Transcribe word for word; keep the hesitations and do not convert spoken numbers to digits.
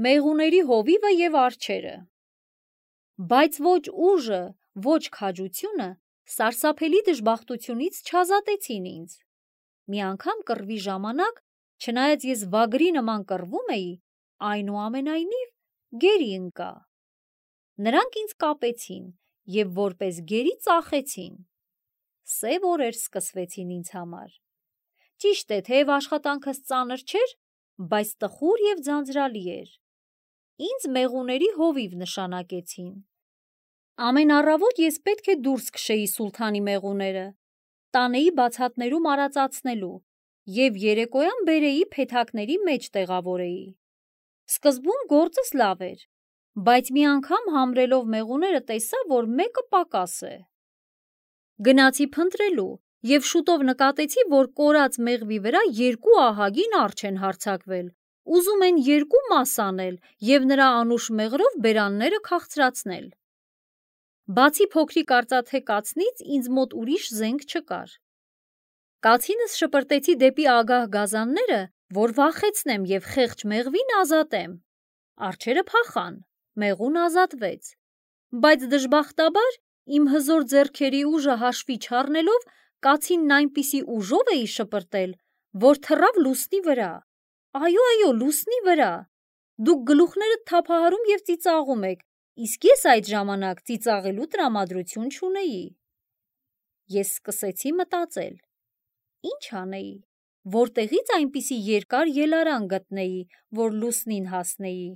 մեղուների հովիվը և արջերը։ Բայց ոչ ուժը, ոչ քաջությունը սարսափելի դժբախտությունից չազատեցին ինձ։ Մի անգամ կռվի ժամանակ, չնայած ես վագրի նման կռվում էի, այնուամենայնիվ գերի ընկա։ Նրանք ինձ կապեցին և որպես գերի ծախեցին։ Սև օրեր սկսվեցին ինձ համար։ Ճիշտ է, թեև աշխատանքս ծանր չէր, բայց տխուր և ձանձրալի էր։ Ինձ մեղուների հովիվ նշանակեցին։ Ամեն առավոտ ես պետք է դուրս քշեի Սուլթանի մեղուները, տանեի բացատներում արածացնելու և երեկոյան բերեի փեթակների մեջ տեղավորեի։ Սկզբում գործս լավ էր, բայց մի անգամ համրելով մեղուները տեսա, որ մեկը պակաս է։ Գնացի փնտրելու և շուտով նկատեցի, որ կորած մեղվի վրա երկու ահագին արջեր են հարձակվել, ուզում են երկու մաս անել և նրա անուշ մեղրով բերանները քաղցրացնել։ Բացի փոքրիկ արծաթե կացնից ինձ մոտ ուրիշ զենք չկար։ Կացինս շպրտեցի դեպի ագահ գազանները, որ վախեցնեմ և խեղճ մեղվին ազատեմ։ Արջերը փախան, մեղուն ազատվեց, բայց դժբախտաբար իմ հզոր ձեռքերի ուժը հաշվի չառնելով կացինն այնպիսի ուժով էի շպրտել, որ թռավ լուսնի վրա։ Այո, այո, լուսնի վրա։ Դուք գլուխներդ թափահարում և ծիծաղում եք, իսկ ես այդ ժամանակ ծիծաղելու տրամադրություն չունեի։ Ես սկսեցի մտածել. ի՞նչ անեի, որտեղից այնպիսի երկար ելարան գտնեի, որ լուսնին հասնեի։